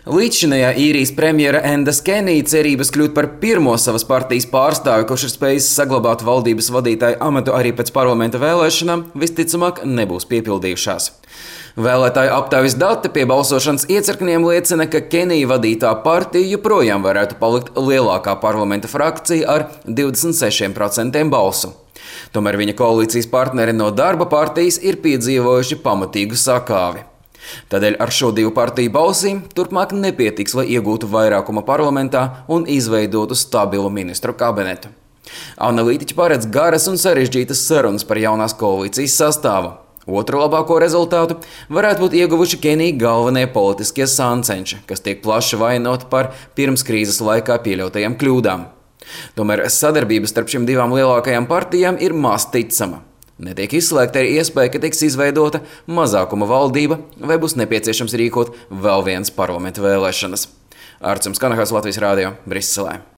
Līdzšinējā īrijas premjera Enda Skenija cerības kļūt par pirmo savas partijas pārstāvi, kurš ir spējis saglabāt valdības vadītāju amatu arī pēc parlamenta vēlēšanām, visticamāk nebūs piepildījušās. Vēlētāju aptaujas dati pie balsošanas iecirkņiem liecina, ka Kenija vadītā partija joprojām varētu palikt lielākā parlamenta frakcija ar 26% balsu. Tomēr viņa koalīcijas partneri no Darba partijas ir piedzīvojuši pamatīgu sakāvi. Tādēļ ar šo divu partiju balsīm turpmāk nepietiks, lai iegūtu vairākumu parlamentā un izveidotu stabilu ministru kabinetu. Analītiķi paredz garas un sarežģītas sarunas par jaunās koalīcijas sastāvu. Otru labāko rezultātu varētu būt ieguvuši Kenija galvenie politiskie sāncenši, kas tiek plaši vainoti par pirms krīzes laikā pieļautajām kļūdām. Tomēr sadarbība starp šīm divām lielākajām partijām ir maz ticama. Netiek izslēgta arī iespēja, ka tiks izveidota mazākuma valdība vai būs nepieciešams rīkot vēl vienas parlamenta vēlēšanas. Artjums Kanahas, Latvijas Rādio, Briselē.